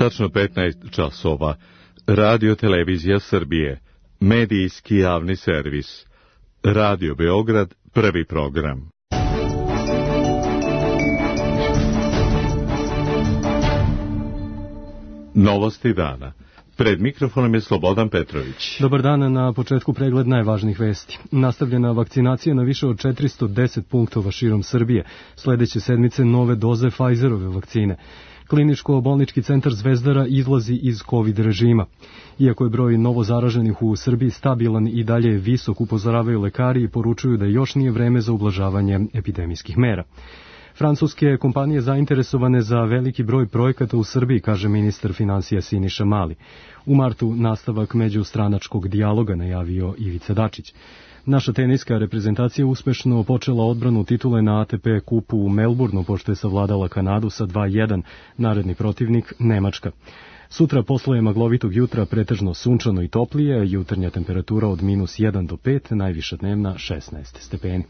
Tačno 15 časova. Radio Televizija Srbije. Medijski javni servis. Radio Beograd, prvi program. Novosti dana. Pred mikrofonom je Slobodan Petrović. Dobar dan, na početku pregled najvažnijih vesti. Nastavljena vakcinacija na više od 410 punktova širom Srbije. Sledeće sedmice nove doze Pfizerove vakcine. Kliničko-bolnički centar Zvezdara izlazi iz COVID režima. Iako je broj novozaraženih u Srbiji stabilan i dalje je visok, upozoravaju lekari i poručuju da još nije vreme za ublažavanje epidemijskih mera. Francuske kompanije zainteresovane za veliki broj projekata u Srbiji, kaže ministar finansija Siniša Mali. U martu nastavak međustranačkog dijaloga najavio Ivica Dačić. Naša teniska reprezentacija uspešno počela odbranu titule na ATP kupu u Melbourneu, pošto je savladala Kanadu sa 2:1, naredni protivnik Nemačka. Sutra posle maglovitog jutra pretežno sunčano i toplije, jutarnja temperatura od -1 do 5, najviša dnevna 16 stepeni.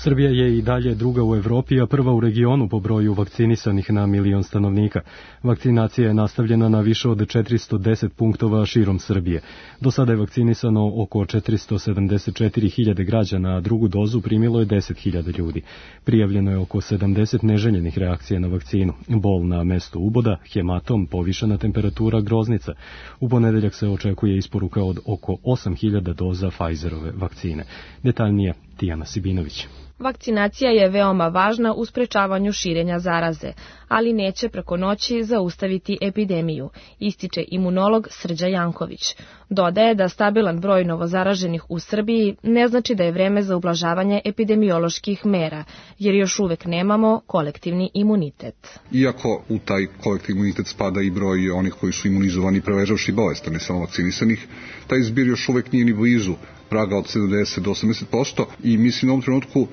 Srbija je i dalje druga u Evropi, a prva u regionu po broju vakcinisanih na milion stanovnika. Vakcinacija je nastavljena na više od 410 punktova širom Srbije. Do sada je vakcinisano oko 474.000 građana, a drugu dozu primilo je 10.000 ljudi. Prijavljeno je oko 70 neželjenih reakcija na vakcinu. Bol na mestu uboda, hematom, povišena temperatura, groznica. U ponedeljak se očekuje isporuka od oko 8.000 doza Pfizerove vakcine. Detaljnije Tijana Sibinović. Vakcinacija je veoma važna u sprečavanju širenja zaraze, ali neće preko noći zaustaviti epidemiju, ističe imunolog Srđa Janković. Dodaje da stabilan broj novozaraženih u Srbiji ne znači da je vreme za ublažavanje epidemioloških mera, jer još uvek nemamo kolektivni imunitet. Iako u taj kolektivni imunitet spada i broj onih koji su imunizovani prevežavši bolesti, ne samo vakcinisanih, taj zbir još uvek nije ni blizu praga od 70 do 80% i mislim u ovom trenutku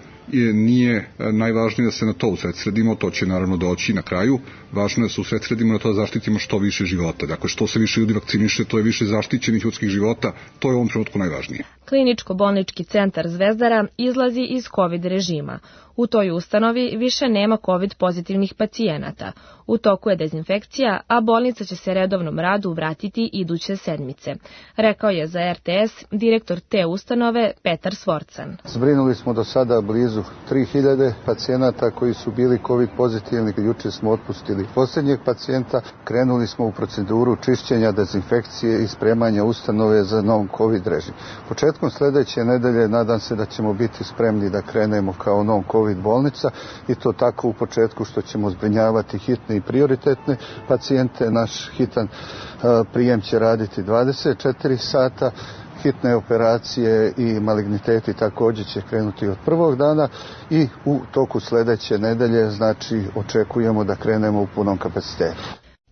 nije najvažnije da se na to usredsredimo, to će naravno doći na kraju. Važno je da se usredsredimo na to da zaštitimo što više života. Dakle, što se više ljudi vakciniše, to je više zaštićenih ljudskih života, to je u ovom trenutku najvažnije. Kliničko-bolnički centar Zvezdara izlazi iz COVID režima. U toj ustanovi više nema COVID pozitivnih pacijenata. U toku je dezinfekcija, a bolnica će se redovnom radu vratiti iduće sedmice. Rekao je za RTS direktor te ustanove Petar Svorcan. Zbrinuli smo do sada blizu 3000 pacijenata koji su bili COVID pozitivni. Juče smo otpustili posljednjeg pacijenta. Krenuli smo u proceduru čišćenja, dezinfekcije i spremanja ustanove za nov COVID režim. Početkom sledeće nedelje nadam se da ćemo biti spremni da krenemo kao nov COVID bolnica i to tako u početku što ćemo zbrinjavati hitne i prioritetne pacijente. Naš hitan prijem će raditi 24 sata. Hitne operacije i maligniteti također će krenuti od prvog dana i u toku sledeće nedelje, znači očekujemo da krenemo u punom kapacitetu.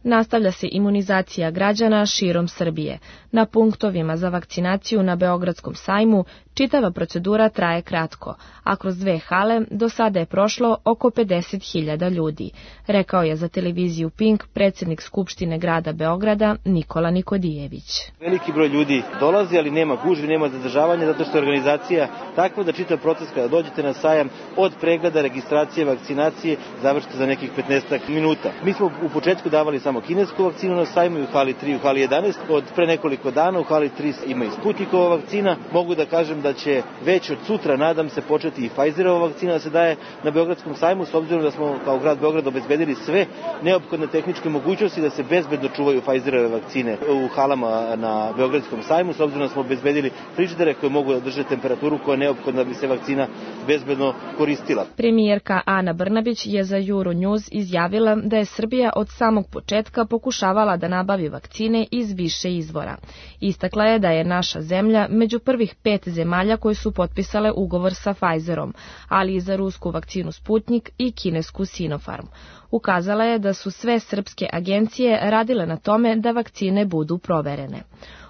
Nastavlja se imunizacija građana širom Srbije. Na punktovima za vakcinaciju na Beogradskom sajmu čitava procedura traje kratko, a kroz 2 hale do sada je prošlo oko 50.000 ljudi, rekao je za televiziju Pink predsjednik Skupštine grada Beograda Nikola Nikodijević. Veliki broj ljudi dolazi, ali nema gužvi, nema zadržavanja, zato što je organizacija takva da čitav proces kada dođete na sajam od pregleda, registracije, vakcinacije završite za nekih 15 minuta. Mi smo u početku davali samo kinesku vakcinu na sajmu u hali 3 i u hali 11. Od pre nekoliko dana u hali 3 ima i Sputnikova vakcina. Mogu da kažem da će već od sutra, nadam se, početi i Pfizerova vakcina da se daje na Beogradskom sajmu, s obzirom da smo kao grad Beograd obezbedili sve neophodne tehničke mogućnosti da se bezbedno čuvaju Pfizerove vakcine u halama na Beogradskom sajmu, s obzirom da smo obezbedili frižidere koje mogu da drže temperaturu koja je neophodna da bi se vakcina bezbedno koristila. Premijerka Ana Brnabić je za Euronews izjavila da je Srbija od samog početka pokušavala da nabavi vakcine iz više izvora. Istakla je da je naša zemlja među prvih 5 zemalja koje su potpisale ugovor sa Pfizerom, ali i za rusku vakcinu Sputnik i kinesku Sinopharm. Ukazala je da su sve srpske agencije radile na tome da vakcine budu proverene.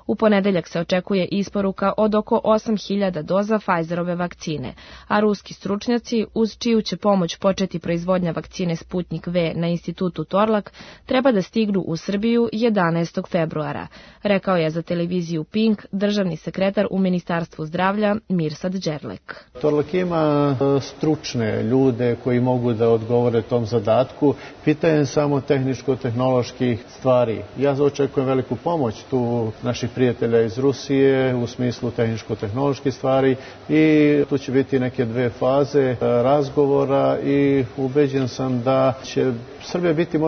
U ponedeljak se očekuje isporuka od oko 8.000 doza Pfizerove vakcine, a ruski stručnjaci, uz čiju će pomoć početi proizvodnja vakcine Sputnik V na institutu Torlak, treba da stignu u Srbiju 11. februara, rekao je za televiziju Pink državni sekretar u Ministarstvu zdravlja Mirsad Đerlek. Torlak ima stručne ljude koji mogu da odgovore tom zadatku. Pitanje je samo tehničko-tehnoloških stvari. Ja očekujem veliku pomoć tu naših prijatelja iz Rusije u smislu tehničko-tehnoloških stvari i tu će biti neke dve faze razgovora i ubeđen sam da će Srbija biti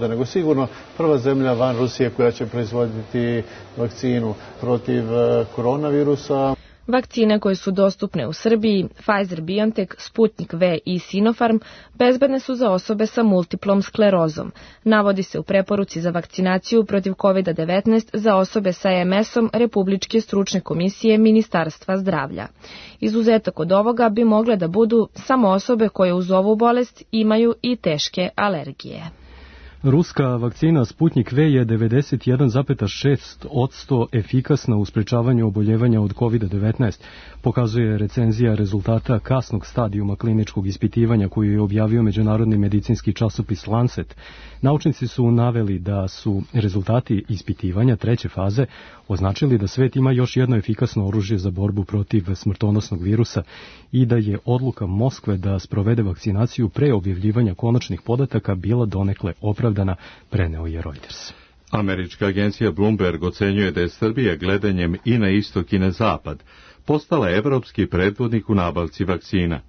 nego sigurno prva zemlja van Rusije koja će proizvoditi vakcinu protiv koronavirusa. Vakcine koje su dostupne u Srbiji, Pfizer-BioNTech, Sputnik V i Sinopharm, bezbedne su za osobe sa multiplom sklerozom. Navodi se u preporuci za vakcinaciju protiv COVID-19 za osobe sa MS-om Republičke stručne komisije Ministarstva zdravlja. Izuzetak od ovoga bi mogle da budu samo osobe koje uz ovu bolest imaju i teške alergije. Ruska vakcina Sputnik V je 91,6% efikasna u sprečavanju oboljevanja od COVID-19, pokazuje recenzija rezultata kasnog stadijuma kliničkog ispitivanja koju je objavio međunarodni medicinski časopis Lancet. Naučnici su naveli da su rezultati ispitivanja treće faze označili da svet ima još jedno efikasno oružje za borbu protiv smrtonosnog virusa i da je odluka Moskve da sprovede vakcinaciju pre objavljivanja konačnih podataka bila donekle opravdana, preneo je Reuters. Američka agencija Bloomberg ocenjuje da je Srbija gledanjem i na istok i na zapad postala evropski predvodnik u nabavci vakcina.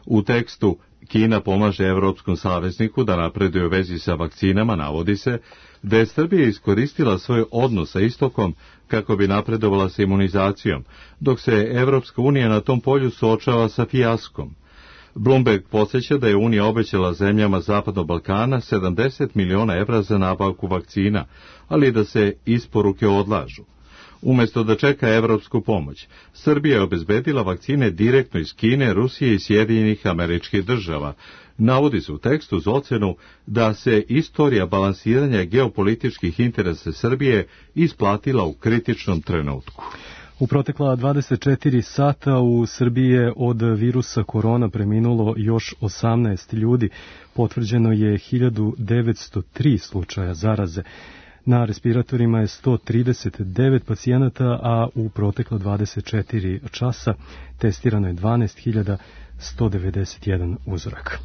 U tekstu Kina pomaže evropskom savezniku da napreduje u vezi sa vakcinama, navodi se da je Srbija iskoristila svoj odnos sa istokom kako bi napredovala sa imunizacijom, dok se Evropska unija na tom polju suočava sa fijaskom. Bloomberg podsjeća da je Unija obećala zemljama Zapadnog Balkana 70 miliona evra za nabavku vakcina, ali da se isporuke odlažu. Umjesto da čeka evropsku pomoć, Srbija je obezbedila vakcine direktno iz Kine, Rusije i Sjedinjenih Američkih Država. Navodi se u tekstu uz ocenu da se istorija balansiranja geopolitičkih interesa Srbije isplatila u kritičnom trenutku. U protekla 24 sata u Srbiji je od virusa korona preminulo još 18 ljudi. Potvrđeno je 1903 slučaja zaraze. Na respiratorima je 139 pacijenata, a u protekla 24 časa testirano je 12.191 uzorak.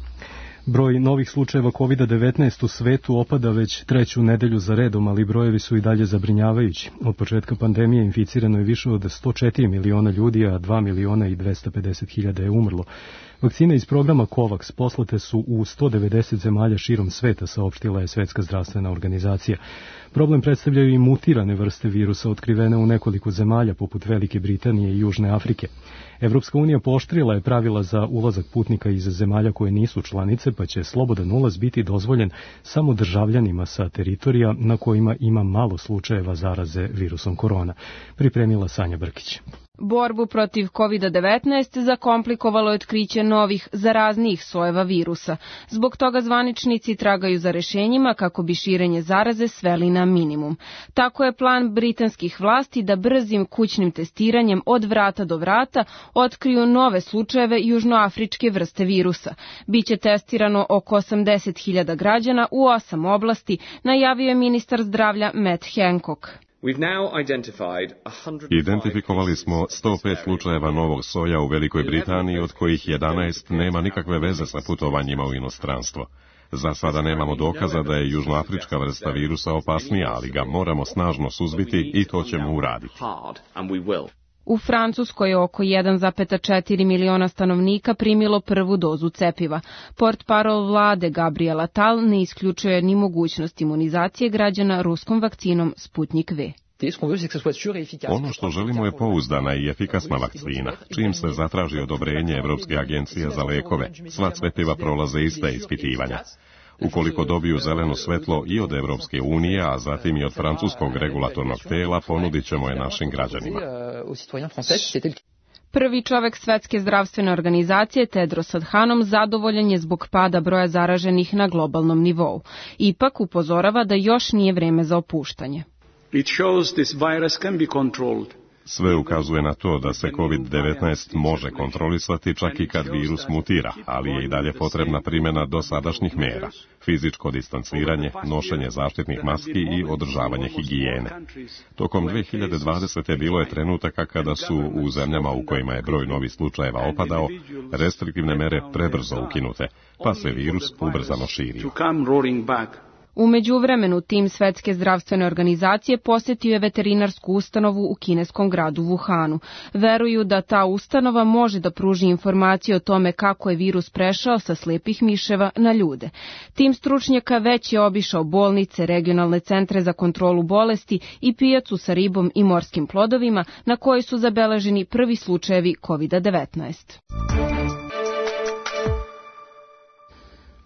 Broj novih slučajeva COVID-19 u svetu opada već treću nedelju za redom, ali brojevi su i dalje zabrinjavajući. Od početka pandemije inficirano je više od 104 miliona ljudi, a 2.250.000 je umrlo. Vakcine iz programa COVAX poslate su u 190 zemalja širom sveta, saopštila je Svetska zdravstvena organizacija. Problem predstavljaju i mutirane vrste virusa otkrivene u nekoliko zemalja, poput Velike Britanije i Južne Afrike. Evropska unija pooštrila je pravila za ulazak putnika iz zemalja koje nisu članice, pa će slobodan ulaz biti dozvoljen samo državljanima sa teritorija na kojima ima malo slučajeva zaraze virusom korona. Pripremila Sanja Brkić. Borbu protiv COVID-19 zakomplikovalo je otkriće novih zaraznijih sojeva virusa. Zbog toga zvaničnici tragaju za rešenjima kako bi širenje zaraze sveli na minimum. Tako je plan britanskih vlasti da brzim kućnim testiranjem od vrata do vrata otkriju nove slučajeve južnoafričke vrste virusa. Biće testirano oko 80.000 građana u 8 oblasti, najavio je ministar zdravlja Matt Hancock. Identifikovali smo 105 slučajeva novog soja u Velikoj Britaniji, od kojih 11 nema nikakve veze sa putovanjima u inostranstvo. Za sada nemamo dokaza da je južnoafrička vrsta virusa opasnija, ali ga moramo snažno suzbiti i to ćemo uraditi. U Francuskoj je oko 1,4 miliona stanovnika primilo prvu dozu cepiva. Portparol vlade Gabriel Attal ne isključuje ni mogućnost imunizacije građana ruskom vakcinom Sputnik V. Ono što želimo je pouzdana i efikasna vakcina. Čim se zatraži odobrenje Evropske agencije za lekove, sva cepiva prolaze ista ispitivanja. Ukoliko dobiju zeleno svetlo i od Evropske unije, a zatim i od francuskog regulatornog tela, ponudit ćemo je našim građanima. Prvi čovek Svetske zdravstvene organizacije Tedros Adhanom zadovoljan je zbog pada broja zaraženih na globalnom nivou. Ipak upozorava da još nije vreme za opuštanje. It shows this virus can be controlled. Sve ukazuje na to da se COVID-19 može kontrolisati čak i kad virus mutira, ali je i dalje potrebna primjena dosadašnjih mjera, fizičko distanciranje, nošenje zaštitnih maski i održavanje higijene. Tokom 2020. bilo je trenutaka kada su u zemljama u kojima je broj novih slučajeva opadao, restriktivne mere prebrzo ukinute, pa se virus ubrzano širio. U međuvremenu tim Svetske zdravstvene organizacije posjetio je veterinarsku ustanovu u kineskom gradu Wuhanu. Veruju da ta ustanova može da pruži informacije o tome kako je virus prešao sa slepih miševa na ljude. Tim stručnjaka već je obišao bolnice, regionalne centre za kontrolu bolesti i pijacu sa ribom i morskim plodovima na kojoj su zabeleženi prvi slučajevi COVID-19.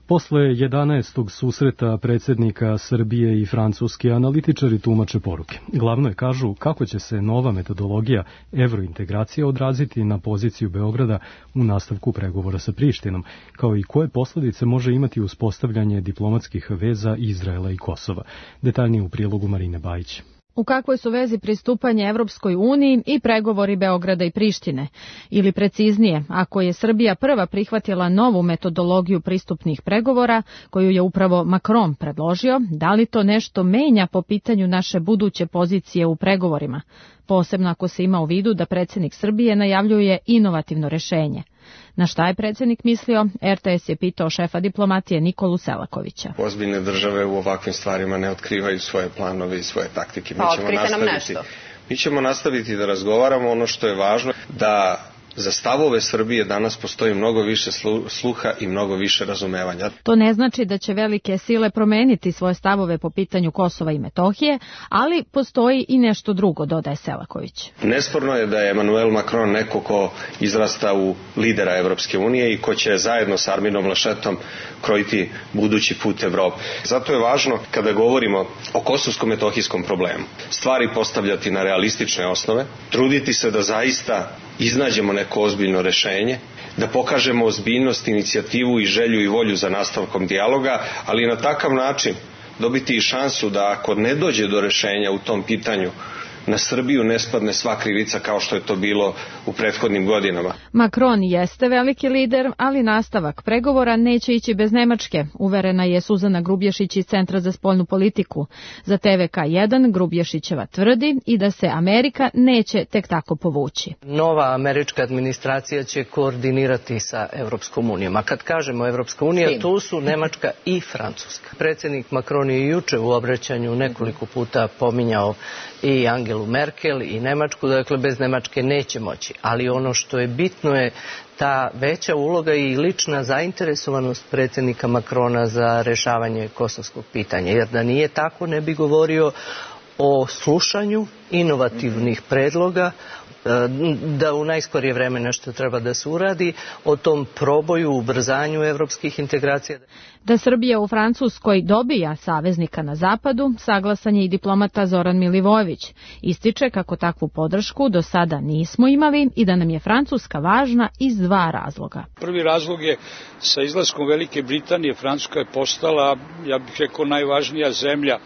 Posle 11. susreta predsjednika Srbije i Francuske, analitičari tumače poruke. Glavno je kažu kako će se nova metodologija evrointegracije odraziti na poziciju Beograda u nastavku pregovora sa Prištinom, kao i koje posljedice može imati uspostavljanje diplomatskih veza Izraela i Kosova. Detaljnije u prilogu Marine Bajić. U kakvoj su vezi pristupanje Evropskoj uniji i pregovori Beograda i Prištine? Ili preciznije, ako je Srbija prva prihvatila novu metodologiju pristupnih pregovora, koju je upravo Macron predložio, da li to nešto menja po pitanju naše buduće pozicije u pregovorima? Posebno ako se ima u vidu da predsjednik Srbije najavljuje inovativno rešenje. Na šta je predsjednik mislio, RTS je pitao šefa diplomatije Nikolu Selakovića. Ozbiljne države u ovakvim stvarima ne otkrivaju svoje planove i svoje taktike. Mi ćemo nastaviti da razgovaramo. Ono što je važno da za stavove Srbije danas postoji mnogo više sluha i mnogo više razumevanja. To ne znači da će velike sile promeniti svoje stavove po pitanju Kosova i Metohije, ali postoji i nešto drugo, dodaje Selaković. Nesporno je da je Emmanuel Macron neko ko izrasta u lidera Evropske unije i ko će zajedno s Arminom Laschetom krojiti budući put Evrope. Zato je važno, kada govorimo o kosovsko-metohijskom problemu, stvari postavljati na realistične osnove, truditi se da zaista iznađemo neko ozbiljno rešenje, da pokažemo ozbiljnost, inicijativu i želju i volju za nastavkom dijaloga, ali na takav način dobiti i šansu da ako ne dođe do rešenja u tom pitanju, na Srbiju ne spadne sva krivica kao što je to bilo u prethodnim godinama. Macron jeste veliki lider, ali nastavak pregovora neće ići bez Nemačke, uverena je Suzana Grubješić iz Centra za spoljnu politiku. Za TVK1 Grubješićeva tvrdi i da se Amerika neće tek tako povući. Nova američka administracija će koordinirati sa Evropskom unijom. A kad kažemo Evropska unija, tu su Nemačka i Francuska. Predsjednik Macron je juče u obraćanju nekoliko puta pominjao i Angelu Merkel i Nemačku, dakle bez Nemačke neće moći. Ali ono što je bitno je ta veća uloga i lična zainteresovanost predsjednika Macrona za rješavanje kosovskog pitanja. Jer da nije tako ne bi govorio o slušanju inovativnih predloga, da u najskorije vreme nešto treba da se uradi, o tom proboju, ubrzanju evropskih integracija. Da Srbija u Francuskoj dobija saveznika na zapadu, saglasan je i diplomata Zoran Milivojević. Ističe kako takvu podršku do sada nismo imali i da nam je Francuska važna iz dva razloga. Prvi razlog je sa izlaskom Velike Britanije Francuska je postala, ja bih rekao, najvažnija zemlja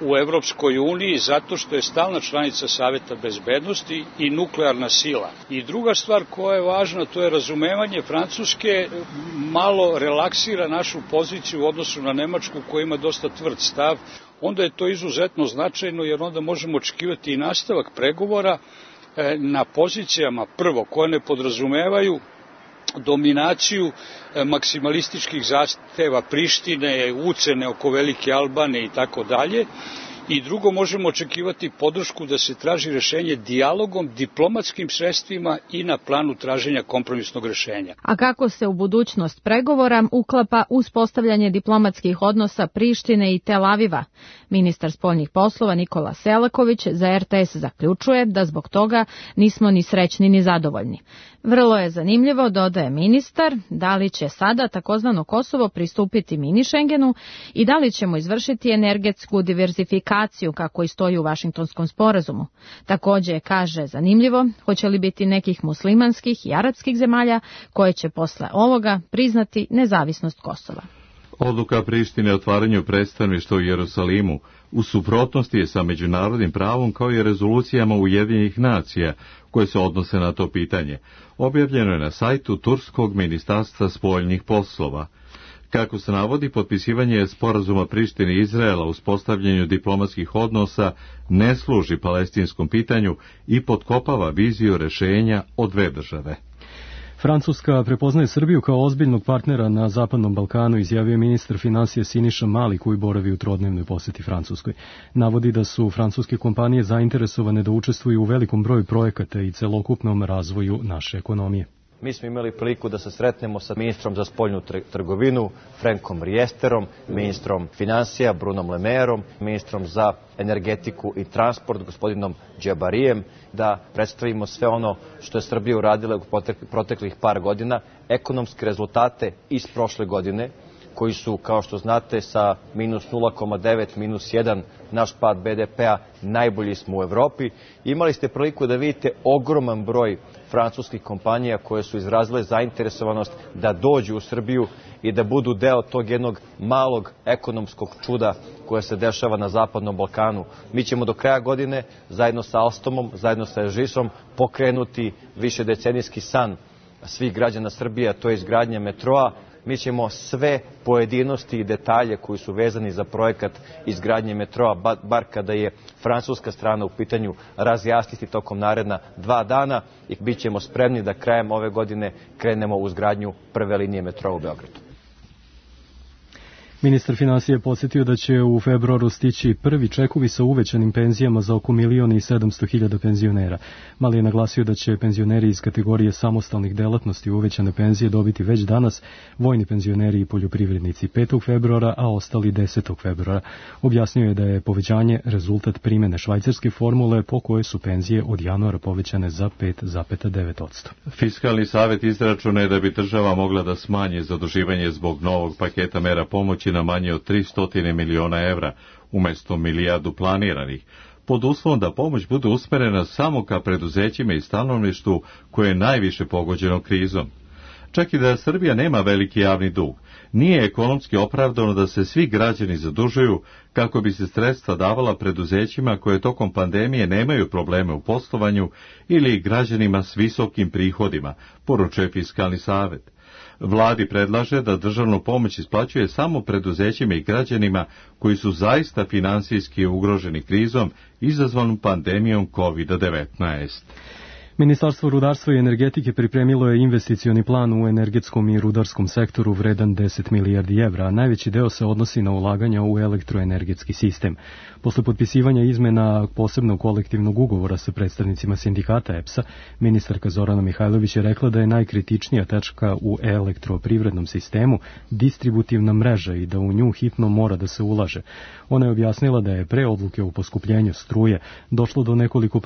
u Evropskoj uniji zato što je stalna članica Saveta bezbednosti i nuklearna sila. I druga stvar koja je važna, to je razumevanje Francuske malo relaksira našu poziciju u odnosu na Nemačku koja ima dosta tvrd stav. Onda je to izuzetno značajno jer onda možemo očekivati i nastavak pregovora na pozicijama prvo koje ne podrazumevaju dominaciju maksimalističkih zahteva Prištine, ucene oko Velike Albanije i tako dalje. I drugo, možemo očekivati podršku da se traži rešenje dijalogom, diplomatskim sredstvima i na planu traženja kompromisnog rešenja. A kako se u budućnost pregovora uklapa uspostavljanje diplomatskih odnosa Prištine i Tel Aviva? Ministar spoljnih poslova Nikola Selaković za RTS zaključuje da zbog toga nismo ni srećni ni zadovoljni. Vrlo je zanimljivo, dodaje ministar, da li će sada takozvano Kosovo pristupiti mini Schengenu i da li ćemo izvršiti energetsku diverzifikaciju kako i stoji u Vašingtonskom sporazumu. Također kaže zanimljivo, hoće li biti nekih muslimanskih i arapskih zemalja koje će posle ovoga priznati nezavisnost Kosova. Odluka Prištine o otvaranju predstavništva u Jerusalimu u suprotnosti je sa međunarodnim pravom kao i rezolucijama Ujedinjenih nacija koje se odnose na to pitanje. Objavljeno je na sajtu Turskog ministarstva spoljnih poslova. Kako se navodi, potpisivanje sporazuma Prištine i Izraela u uspostavljanju diplomatskih odnosa ne služi palestinskom pitanju i potkopava viziju rešenja o dve države. Francuska prepoznaje Srbiju kao ozbiljnog partnera na Zapadnom Balkanu, izjavio ministar finansija Siniša Mali, koji boravi u trodnevnoj poseti Francuskoj. Navodi da su francuske kompanije zainteresovane da učestvuju u velikom broju projekata i celokupnom razvoju naše ekonomije. Mi smo imali priliku da se sretnemo sa ministrom za spoljnu trgovinu, Frankom Riesterom, ministrom finansija, Brunom Lemerom, ministrom za energetiku i transport, gospodinom Džabarijem, da predstavimo sve ono što je Srbija uradila u proteklih par godina, ekonomske rezultate iz prošle godine, koji su, kao što znate, sa minus 0,9, minus 1, naš pad BDP-a, najbolji smo u Evropi. Imali ste priliku da vidite ogroman broj francuskih kompanija koje su izrazile zainteresovanost da dođu u Srbiju i da budu deo tog jednog malog ekonomskog čuda koje se dešava na Zapadnom Balkanu. Mi ćemo do kraja godine, zajedno sa Alstomom, zajedno sa Ežisom, pokrenuti višedecenijski san svih građana Srbije, a to je izgradnja metroa. Mi ćemo sve pojedinosti i detalje koji su vezani za projekat izgradnje metroa, bar kada je francuska strana u pitanju, razjasniti tokom naredna 2 dana i bit ćemo spremni da krajem ove godine krenemo u izgradnju prve linije metroa u Beogradu. Ministar finansija je podsjetio da će u februaru stići prvi čekovi sa uvećanim penzijama za oko 1.700.000 penzionera. Mali je naglasio da će penzioneri iz kategorije samostalnih delatnosti uvećane penzije dobiti već danas, vojni penzioneri i poljoprivrednici 5. februara, a ostali 10. februara. Objasnio je da je povećanje rezultat primene švajcarske formule po kojoj su penzije od januara povećane za 5,9%. Fiskalni savjet izračuna je da bi država mogla da smanji zaduživanje zbog novog paketa mera pomoći na manje od 300 miliona evra, umjesto milijardu planiranih, pod uslovom da pomoć bude usmerena samo ka preduzećima i stanovništvu koje je najviše pogođeno krizom. Čak i da Srbija nema veliki javni dug, nije ekonomski opravdano da se svi građani zadužuju kako bi se sredstva davala preduzećima koje tokom pandemije nemaju probleme u poslovanju ili građanima s visokim prihodima, poručuje Fiskalni savjet. Vladi predlaže da državnu pomoć isplaćuje samo preduzećima i građanima koji su zaista finansijski ugroženi krizom izazvanom pandemijom COVID-19. Ministarstvo rudarstva i energetike pripremilo je investicioni plan u energetskom i rudarskom sektoru vredan 10 milijardi evra, a najveći deo se odnosi na ulaganja u elektroenergetski sistem. Posle potpisivanja izmena posebnog kolektivnog ugovora sa predstavnicima sindikata EPS-a, ministarka Zorana Mihajlović je rekla da je najkritičnija tačka u elektroprivrednom sistemu distributivna mreža i da u nju hitno mora da se ulaže. Ona je objasnila da je pre odluke o poskupljenju struje došlo do nekoliko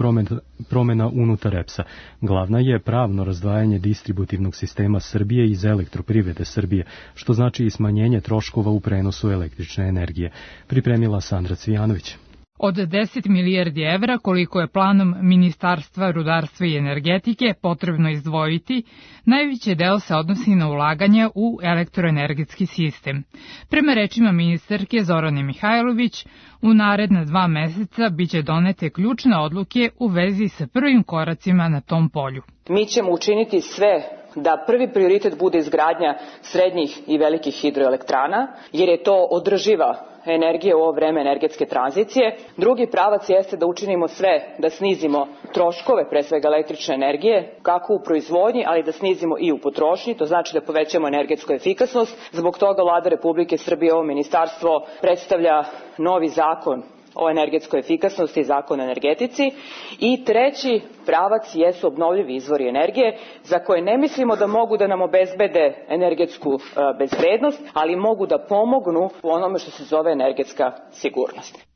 promena unutar EPS-a. Glavna je pravno razdvajanje distributivnog sistema Srbije iz elektroprivrede Srbije, što znači i smanjenje troškova u prenosu električne energije. Pripremila Sandra Cvijanović. Od 10 milijardi evra, koliko je planom Ministarstva rudarstva i energetike potrebno izdvojiti, najveći deo se odnosi na ulaganja u elektroenergetski sistem. Prema rečima ministarke Zorane Mihajlović, u naredna 2 meseca biće donete ključne odluke u vezi sa prvim koracima na tom polju. Mi ćemo učiniti sve da prvi prioritet bude izgradnja srednjih i velikih hidroelektrana, jer je to održiva energije u ovo vreme energetske tranzicije. Drugi pravac jeste da učinimo sve da snizimo troškove, pre svega električne energije, kako u proizvodnji, ali da snizimo i u potrošnji, to znači da povećamo energetsku efikasnost. Zbog toga Vlada Republike Srbije, ovo ministarstvo, predstavlja novi zakon o energetskoj efikasnosti i zakon o energetici. I treći pravac jesu obnovljivi izvori energije, za koje ne mislimo da mogu da nam obezbede energetsku bezbednost, ali mogu da pomognu u onome što se zove energetska sigurnost.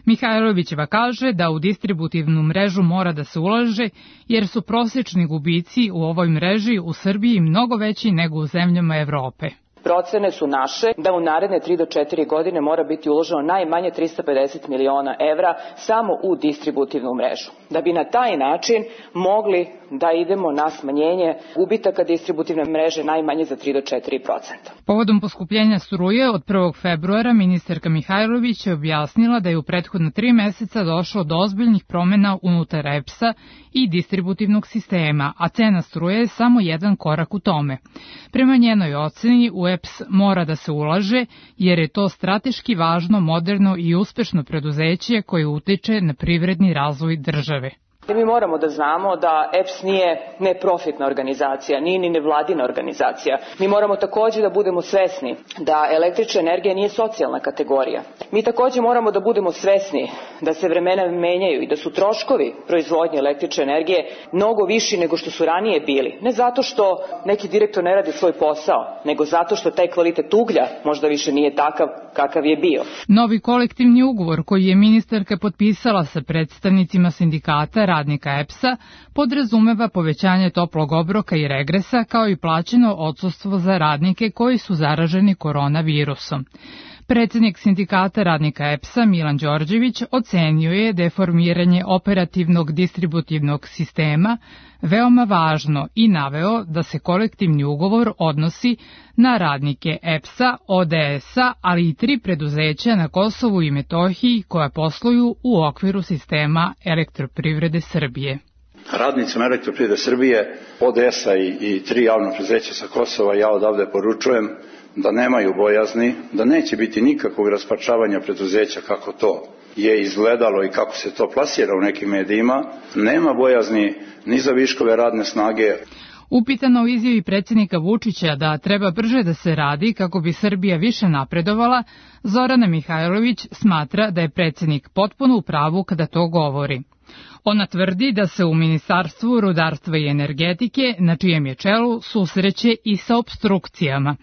Mihajlovićeva kaže da u distributivnu mrežu mora da se ulaže, jer su prosečni gubici u ovoj mreži u Srbiji mnogo veći nego u zemljama Evrope. Procene su naše da u naredne 3 do 4 godine mora biti uloženo najmanje 350 miliona evra samo u distributivnu mrežu. Da bi na taj način mogli da idemo na smanjenje gubitaka distributivne mreže najmanje za 3 do 4%. Povodom poskupljenja struje od 1. februara ministarka Mihajlović je objasnila da je u prethodna 3 meseca došlo do ozbiljnih promena unutar EPS-a i distributivnog sistema, a cena struje je samo jedan korak u tome. Prema njenoj oceni u EPS mora da se ulaže jer je to strateški važno, moderno i uspešno preduzeće koje utiče na privredni razvoj države. Mi moramo da znamo da EPS nije neprofitna organizacija, nije ni nevladina organizacija. Mi moramo takođe da budemo svesni da električna energija nije socijalna kategorija. Mi takođe moramo da budemo svesni da se vremena menjaju i da su troškovi proizvodnje električne energije mnogo viši nego što su ranije bili. Ne zato što neki direktor ne radi svoj posao, nego zato što taj kvalitet uglja možda više nije takav kakav je bio. Novi kolektivni ugovor koji je ministarka potpisala sa predstavnicima sindikata radnika EPS-a podrazumeva povećanje toplog obroka i regresa kao i plaćeno odsustvo za radnike koji su zaraženi koronavirusom. Predsednik sindikata radnika EPS-a Milan Đorđević ocenio je da je formiranje operativnog distributivnog sistema veoma važno i naveo da se kolektivni ugovor odnosi na radnike EPS-a, ODS-a, ali i 3 preduzeća na Kosovu i Metohiji koja posluju u okviru sistema Elektroprivrede Srbije. Radnicima Elektroprivrede Srbije, ODS-a i 3 javna preduzeća sa Kosova ja odavde poručujem da nemaju bojazni, da neće biti nikakvog rasparčavanja preduzeća kako to je izgledalo i kako se to plasira u nekim medijima. Nema bojazni ni za viškove radne snage. Upitano u izjavi predsjednika Vučića da treba brže da se radi kako bi Srbija više napredovala, Zorana Mihajlović smatra da je predsjednik potpuno u pravu kada to govori. Ona tvrdi da se u Ministarstvu rudarstva i energetike, na čijem je čelu, susreće i sa opstrukcijama.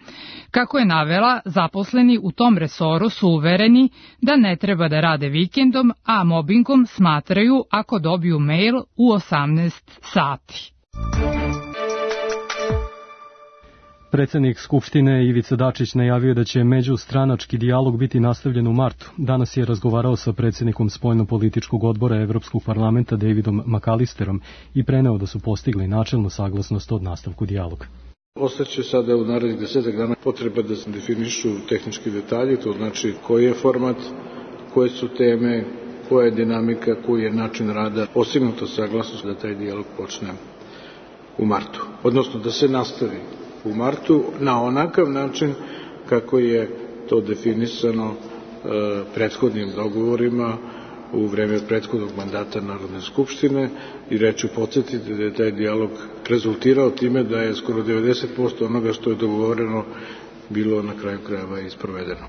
Kako je navela, zaposleni u tom resoru su uvereni da ne treba da rade vikendom, a mobingom smatraju ako dobiju mail u 18 sati. Predsednik Skupštine Ivica Dačić najavio da će međustranački dijalog biti nastavljen u martu. Danas je razgovarao sa predsednikom spoljno-političkog odbora Evropskog parlamenta Davidom McAllisterom i preneo da su postigli načelnu saglasnost od nastavku dijaloga. Ostaće sada u narednih 10 dana potreba da se definišu tehnički detalji, to znači koji je format, koje su teme, koja je dinamika, koji je način rada, postignuta saglasnost da taj dijalog počne u martu, odnosno da se nastavi u martu na onakav način kako je to definisano prethodnim dogovorima u vreme prethodnog mandata Narodne skupštine i reću podsjetiti da je taj dijalog rezultirao time da je skoro 90% onoga što je dogovoreno bilo na kraju krajeva i sprovedeno.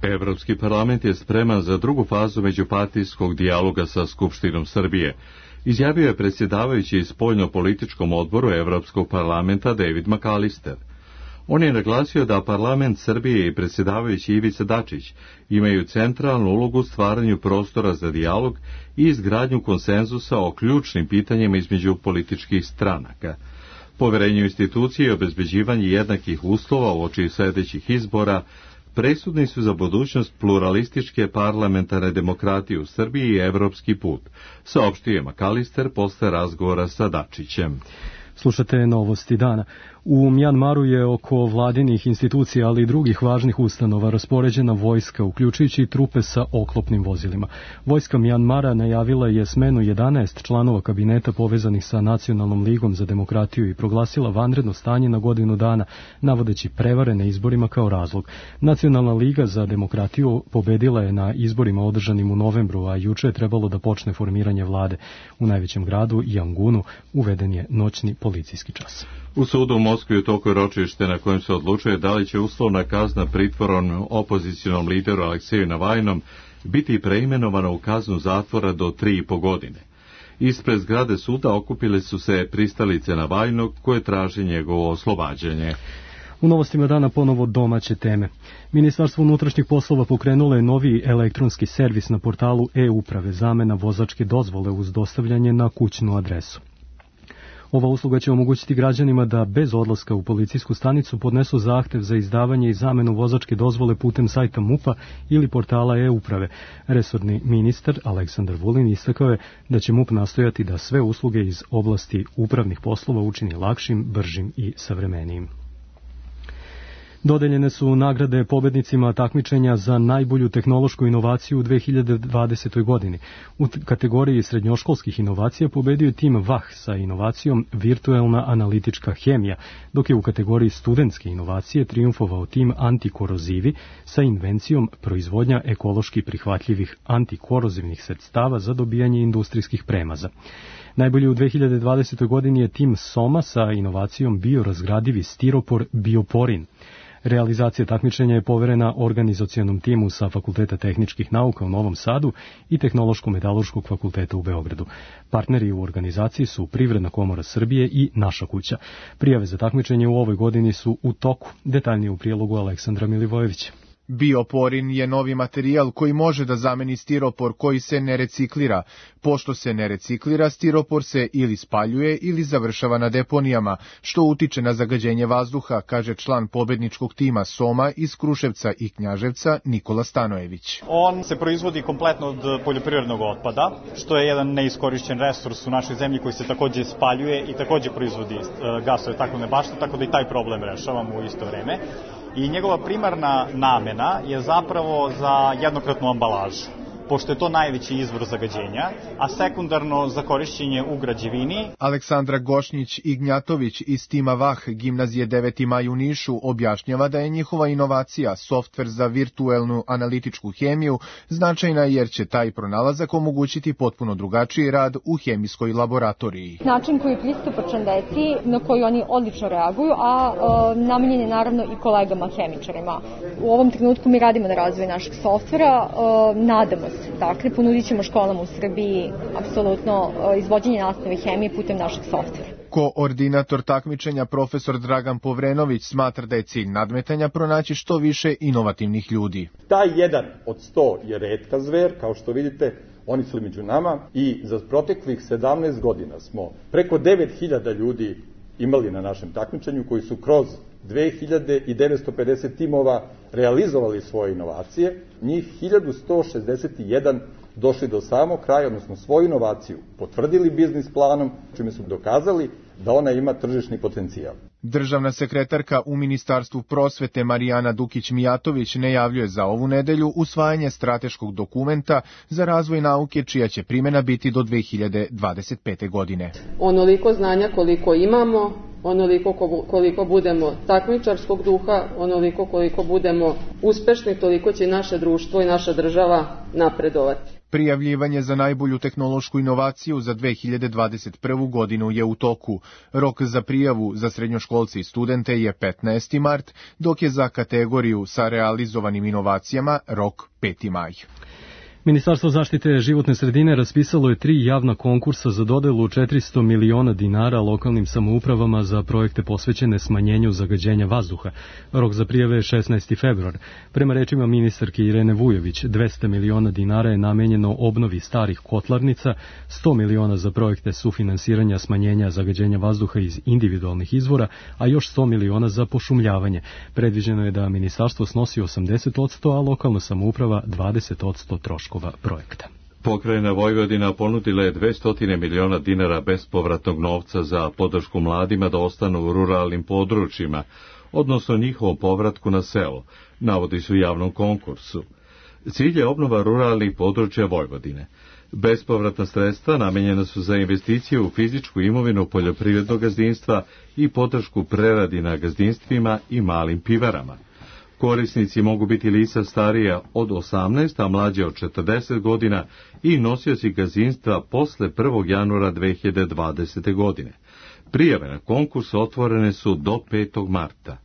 Evropski parlament je spreman za drugu fazu međupartijskog dijaloga sa Skupštinom Srbije, izjavio je predsjedavajući spoljno-političkom odboru Evropskog parlamenta David McAllister. On je naglasio da parlament Srbije i predsjedavajući Ivica Dačić imaju centralnu ulogu u stvaranju prostora za dijalog i izgradnju konsenzusa o ključnim pitanjima između političkih stranaka. Poverenje u institucije i obezbeđivanje jednakih uslova uoči sledećih izbora presudni su za budućnost pluralističke parlamentarne demokratije u Srbiji i evropski put, saopštio je McAllister posle razgovora sa Dačićem. Slušate novosti dana. U Mjanmaru je oko vladinih institucija, ali i drugih važnih ustanova raspoređena vojska, uključujući i trupe sa oklopnim vozilima. Vojska Mjanmara najavila je smenu 11 članova kabineta povezanih sa Nacionalnom ligom za demokratiju i proglasila vanredno stanje na godinu dana, navodeći prevare na izborima kao razlog. Nacionalna liga za demokratiju pobedila je na izborima održanim u novembru, a juče je trebalo da počne formiranje vlade. U najvećem gradu, Jangunu, uveden je noćni policijski čas. U sudu u Moskvi u toku je ročište na kojem se odlučuje da li će uslovna kazna pritvorom opozicionom lideru Alekseju Navajnom biti preimenovana u kaznu zatvora do 3,5 godine. Ispred zgrade suda okupile su se pristalice Navajnog koje traže njegovo oslobađanje. U novostima dana ponovo domaće teme. Ministarstvo unutrašnjih poslova pokrenulo je novi elektronski servis na portalu e-uprave, zamena vozačke dozvole uz dostavljanje na kućnu adresu. Ova usluga će omogućiti građanima da bez odlaska u policijsku stanicu podnesu zahtev za izdavanje i zamenu vozačke dozvole putem sajta MUP-a ili portala e-uprave. Resorni ministar Aleksandar Vulin istakao je da će MUP nastojati da sve usluge iz oblasti upravnih poslova učini lakšim, bržim i savremenijim. Dodeljene su nagrade pobednicima takmičenja za najbolju tehnološku inovaciju u 2020. godini. U kategoriji srednjoškolskih inovacija pobedio je tim VAH sa inovacijom virtuelna analitička hemija, dok je u kategoriji studentske inovacije triumfovao tim antikorozivi sa invencijom proizvodnja ekološki prihvatljivih antikorozivnih sredstava za dobijanje industrijskih premaza. Najbolji u 2020. godini je tim Soma sa inovacijom biorazgradivi stiropor Bioporin. Realizacija takmičenja je poverena organizacionom timu sa Fakulteta tehničkih nauka u Novom Sadu i Tehnološko-metaloškog fakulteta u Beogradu. Partneri u organizaciji su Privredna komora Srbije i Naša kuća. Prijave za takmičenje u ovoj godini su u toku. Detaljnije u prilogu Aleksandra Milivojevića. Bioporin je novi materijal koji može da zameni stiropor koji se ne reciklira. Pošto se ne reciklira, stiropor se ili spaljuje ili završava na deponijama, što utiče na zagađenje vazduha, kaže član pobedničkog tima Soma iz Kruševca i Knjaževca Nikola Stanojević. On se proizvodi kompletno od poljoprivrednog otpada, što je jedan neiskorišćen resurs u našoj zemlji koji se takođe spaljuje i takođe proizvodi gasove staklene bašte, tako da i taj problem rešavamo u isto vreme. I njegova primarna namena je zapravo za jednokratnu ambalažu, pošto je to najveći izvor zagađenja, a sekundarno za korišćenje u građevini. Aleksandra Gošnjić-Ignjatović iz tima VAH Gimnazije 9. maj u Nišu objašnjava da je njihova inovacija, softver za virtuelnu analitičku hemiju, značajna jer će taj pronalazak omogućiti potpuno drugačiji rad u hemijskoj laboratoriji. Način koji je pristupačan deci, na koji oni odlično reaguju, a namenjen je naravno i kolegama hemičarima. U ovom trenutku mi radimo na razvoju našeg softvera, nadamo se. Dakle, ponudit ćemo školama u Srbiji apsolutno izvođenje nastave hemije putem našeg softvera. Koordinator takmičenja profesor Dragan Povrenović smatra da je cilj nadmetanja pronaći što više inovativnih ljudi. Taj jedan od 100 je retka zver, kao što vidite, oni su među nama i za proteklih 17 godina smo preko 9000 ljudi imali na našem takmičenju koji su kroz 2950 timova realizovali svoje inovacije, njih 1161 došli do samog kraja, odnosno svoju inovaciju potvrdili biznis planom, čime su dokazali da ona ima tržišni potencijal. Državna sekretarka u Ministarstvu prosvete Marijana Dukić-Mijatović najavljuje za ovu nedelju usvajanje strateškog dokumenta za razvoj nauke čija će primjena biti do 2025. godine. Onoliko znanja koliko imamo, onoliko koliko budemo takmičarskog duha, onoliko koliko budemo uspešni, toliko će naše društvo i naša država napredovati. Prijavljivanje za najbolju tehnološku inovaciju za 2021. godinu je u toku. Rok za prijavu za srednjoškolce i studente je 15. mart, dok je za kategoriju sa realizovanim inovacijama rok 5. maj. Ministarstvo zaštite životne sredine raspisalo je 3 javna konkursa za dodelu 400 miliona dinara lokalnim samoupravama za projekte posvećene smanjenju zagađenja vazduha. Rok za prijave je 16. februar. Prema rečima ministarke Irene Vujović, 200 miliona dinara je namenjeno obnovi starih kotlarnica, 100 miliona za projekte sufinansiranja smanjenja zagađenja vazduha iz individualnih izvora, a još 100 miliona za pošumljavanje. Predviđeno je da ministarstvo snosi 80%, a lokalna samouprava 20% troškova projekta. Pokrajina Vojvodina ponudila je 200 miliona dinara bespovratnog novca za podršku mladima da ostanu u ruralnim područjima, odnosno njihovom povratku na selo, navodi se u javnom konkursu. Cilj je obnova ruralnih područja Vojvodine. Bespovratna sredstva namenjena su za investicije u fizičku imovinu poljoprivrednog gazdinstva i podršku preradi na gazdinstvima i malim pivarama. Korisnici mogu biti lica starija od 18, a mlađe od 40 godina i nosioci gazdinstva posle 1. januara 2020. godine. Prijave na konkurs otvorene su do 5. marta.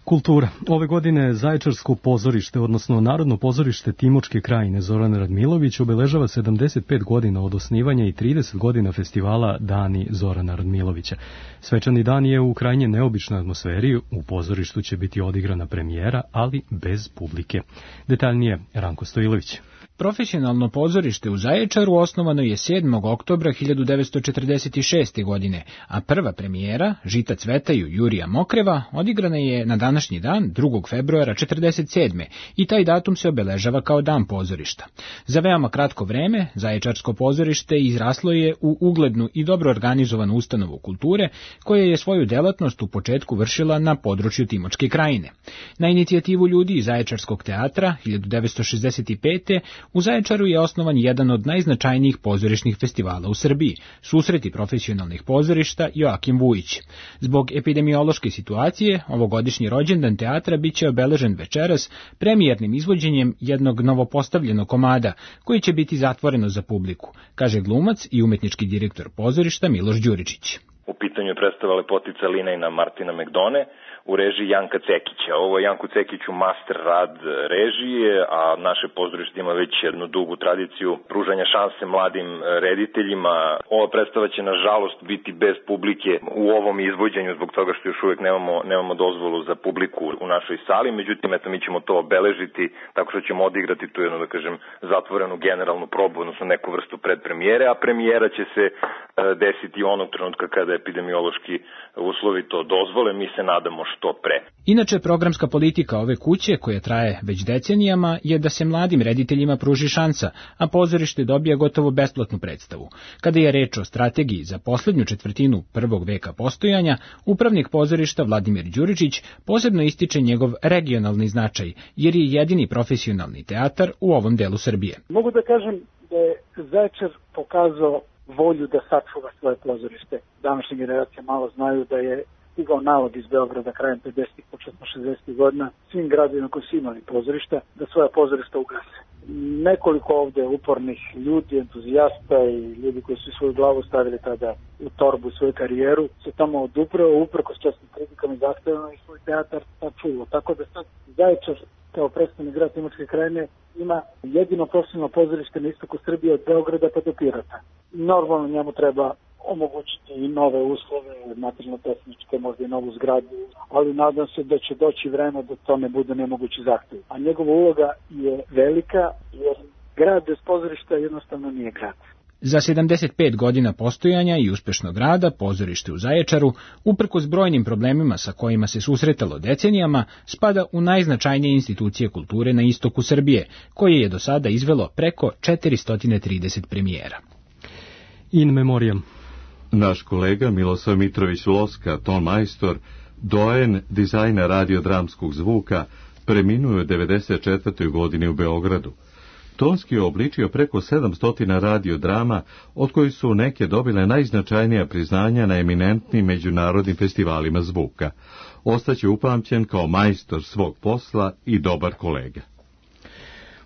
Kultura. Ove godine Zaječarsko pozorište, odnosno Narodno pozorište Timočke krajine Zoran Radmilović obeležava 75 godina od osnivanja i 30 godina festivala Dani Zorana Radmilovića. Svečani dan je u krajnje neobičnoj atmosferi, u pozorištu će biti odigrana premijera, ali bez publike. Detaljnije Ranko Stojilović. Profesionalno pozorište u Zaječaru osnovano je 7. oktobra 1946. godine, a prva premijera, Žita cvetaju Jurija Mokreva, odigrana je na današnji dan, 2. februara 1947. i taj datum se obeležava kao dan pozorišta. Za veoma kratko vreme, Zaječarsko pozorište izraslo je u uglednu i dobro organizovanu ustanovu kulture, koja je svoju delatnost u početku vršila na području Timočke krajine. Na inicijativu ljudi iz Zaječarskog teatra 1965. u Zaječaru je osnovan jedan od najznačajnijih pozorišnih festivala u Srbiji, Susreti profesionalnih pozorišta Joakim Vujić. Zbog epidemiološke situacije, ovogodišnji rođendan teatra biće obeležen večeras premijernim izvođenjem jednog novopostavljenog komada, koji će biti zatvoreno za publiku, kaže glumac i umetnički direktor pozorišta Miloš Đuričić. U pitanju je predstava Lepotica Linejna Martina Megdone u režiji Janka Cekića. Ovo je Janku Cekiću master rad režije, a naše pozorište ima već jednu dugu tradiciju pružanja šanse mladim rediteljima. Ova predstava će nažalost biti bez publike u ovom izvođenju zbog toga što još uvijek nemamo dozvolu za publiku u našoj sali, međutim mi ćemo to obeležiti tako što ćemo odigrati tu jednu, da kažem, zatvorenu generalnu probu, odnosno neku vrstu predpremijere, a premijera će se desiti onog trenutka kada epidemiološki uslovi to dozvole, mi se nadamo što pre. Inače, programska politika ove kuće, koja traje već decenijama, je da se mladim rediteljima pruži šansa, a pozorište dobija gotovo besplatnu predstavu. Kada je reč o strategiji za poslednju četvrtinu prvog veka postojanja, upravnik pozorišta Vladimir Đuričić posebno ističe njegov regionalni značaj, jer je jedini profesionalni teatar u ovom delu Srbije. Mogu da kažem da je Zaječar pokazao volju da sačuva svoje pozorište. Današnje generacije malo znaju da je stigao nalog iz Beograda krajem 50-ih, početno 60-ih godina svim gradovima koji su imali pozorišta da svoja pozorišta ugase. Nekoliko ovde upornih ljudi, entuzijasta i ljudi koji su svoju glavu stavili tada u torbu svoju karijeru se tamo odupravo, uprkos čestim kritikama i zahtevima i svoj teatar sačuvao. Tako da sad Zaječar kao predstavnik grad Timočke krajine ima jedino profesionalno pozorište na istoku Srbije od Beograda pa do Pirota. Normalno njemu treba omogućiti i nove uslove, materijalno-tehničke, možda i novu zgradu, ali nadam se da će doći vreme da to ne bude nemogući zahtev. A njegova uloga je velika, jer grad bez pozorišta jednostavno nije grad. Za 75 godina postojanja i uspešnog rada pozorište u Zaječaru, uprkos brojnim problemima sa kojima se susretalo decenijama, spada u najznačajnije institucije kulture na istoku Srbije, koje je do sada izvelo preko 430 premijera. In memoriam. Naš kolega Milosav Mitrović-Loska, ton majstor, dojen dizajna radiodramskog zvuka, preminuo je 94. godini u Beogradu. Tonski je obličio preko 700 radiodrama, od kojih su neke dobile najznačajnija priznanja na eminentnim međunarodnim festivalima zvuka. Ostaće upamćen kao majstor svog posla i dobar kolega.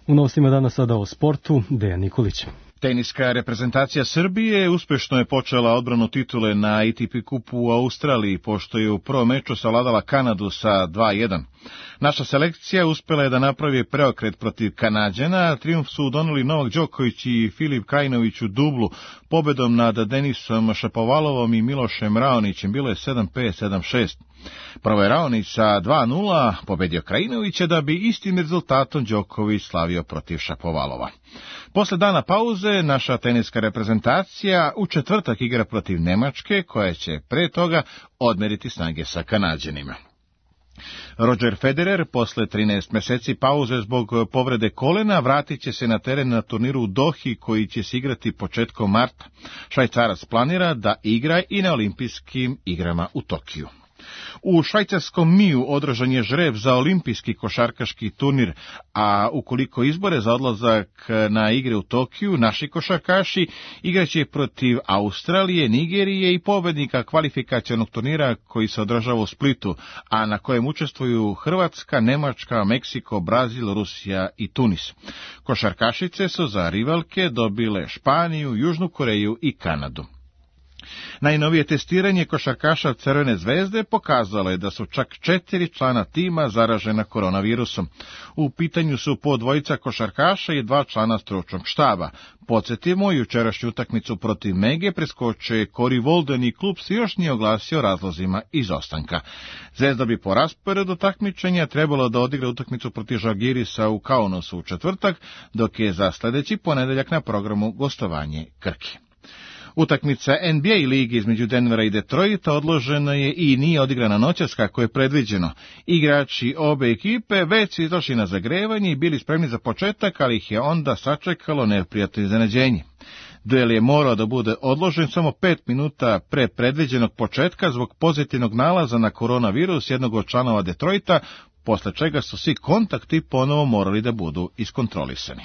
U novostima dana sada o sportu, Dejan Nikolić. Teniska reprezentacija Srbije uspešno je počela odbranu titule na ATP kupu u Australiji, pošto je u prvom meču savladala Kanadu sa 2:1. Naša selekcija uspela je da napravi preokret protiv Kanađana, trijumf su doneli Novak Đoković i Filip Krajinović u dublu, pobedom nad Denisom Šapovalovom i Milošem Raonićem, bilo je 7-5, 7-6. Prvo je Raonić sa 2:0 pobedio Krajinovića, da bi istim rezultatom Đoković slavio protiv Šapovalova. Posle dana pauze, naša teniska reprezentacija u četvrtak igra protiv Nemačke, koja će pre toga odmeriti snage sa Kanađanima. Roger Federer, posle 13 meseci pauze zbog povrede kolena, vratit će se na teren na turniru u Dohi, koji će se igrati početkom marta. Švajcarac planira da igra i na olimpijskim igrama u Tokiju. U švajcarskom Miju održan je žreb za olimpijski košarkaški turnir, a ukoliko izbore za odlazak na igre u Tokiju, naši košarkaši igraće protiv Australije, Nigerije i pobednika kvalifikacionog turnira koji se održava u Splitu, a na kojem učestvuju Hrvatska, Nemačka, Meksiko, Brazil, Rusija i Tunis. Košarkašice su za rivalke dobile Španiju, Južnu Koreju i Kanadu. Najnovije testiranje košarkaša Crvene zvezde pokazalo je da su čak 4 člana tima zaražena koronavirusom. U pitanju su po 2 košarkaša i 2 člana stručnog štaba. Podsjetimo, jučerašnju utakmicu protiv Mege preskočio je Cory Walden i klub se još nije oglasio razlozima izostanka. Zvezda bi po rasporedu takmičenja trebalo da odigra utakmicu protiv Žalgirisa u Kaunasu u četvrtak, dok je za sljedeći ponedeljak na programu gostovanje Krke. Utakmica NBA ligi između Denvera i Detroita odložena je i nije odigrana noćas kako je predviđeno. Igrači obe ekipe već su izašli na zagrevanje i bili spremni za početak, ali ih je onda sačekalo neprijatno iznenađenje. Duel je morao da bude odložen samo 5 minuta pre predviđenog početka zbog pozitivnog nalaza na koronavirus jednog od članova Detroita, posle čega su svi kontakti ponovo morali da budu iskontrolisani.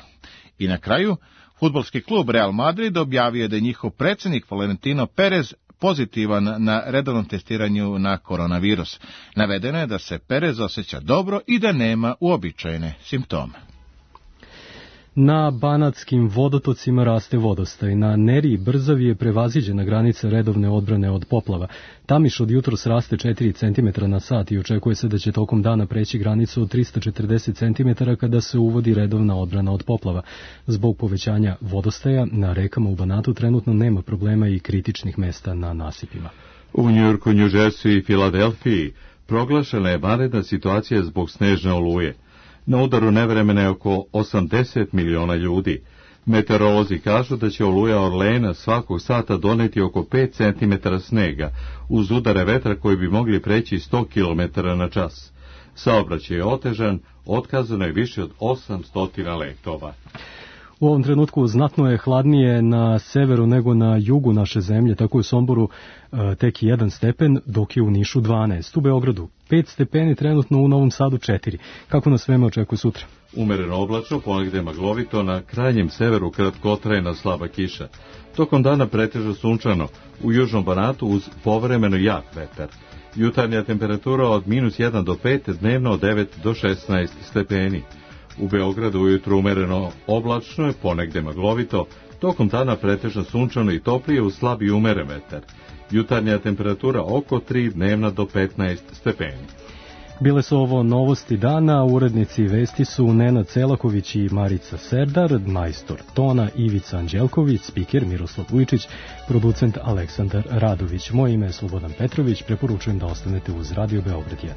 I na kraju, fudbalski klub Real Madrid objavio je da je njihov predsjednik Florentino Perez pozitivan na redovnom testiranju na koronavirus. Navedeno je da se Perez osjeća dobro i da nema uobičajene simptome. Na banatskim vodotocima raste vodostaj. Na Neriji Brzavi je prevaziđena granica redovne odbrane od poplava. Tamiš od jutros raste 4 cm na sat i očekuje se da će tokom dana preći granicu od 340 cm kada se uvodi redovna odbrana od poplava. Zbog povećanja vodostaja na rekama u Banatu trenutno nema problema i kritičnih mesta na nasipima. U Njujorku, New Jersey i Filadelfiji proglašena je vanredna situacija zbog snežne oluje. Na udaru nevremena je oko 80 miliona ljudi. Meteorolozi kažu da će oluja Orleana svakog sata doneti oko 5 cm snega, uz udare vetra koji bi mogli preći 100 km na čas. Saobraćaj je otežan, otkazano je više od 800 letova. U ovom trenutku znatno je hladnije na severu nego na jugu naše zemlje, tako je u Somboru tek 1 stepen, dok je u Nišu 12. U Beogradu 5 stepeni, trenutno u Novom Sadu 4. Kako nas vreme očekuje sutra? Umereno oblačno, ponegde maglovito, na krajnjem severu kratkotrajna slaba kiša. Tokom dana pretežno sunčano, u južnom Banatu uz povremeno jak vetar. Jutarnja temperatura od -1 do 5, dnevno od 9 do 16 stepeni. U Beogradu ujutru umereno oblačno je, ponegde maglovito, tokom dana pretežno sunčano i toplije uz slab i umeren vetar. Jutarnja temperatura oko 3, dnevna do 15 stepeni. Bile su ovo novosti dana, urednici vesti su Nenad Celaković i Marica Serdar, majstor tona Ivica Anđelković, spiker Miroslav Vujčić, producent Aleksandar Radović. Moje ime je Slobodan Petrović, preporučujem da ostanete uz Radio Beograd 1.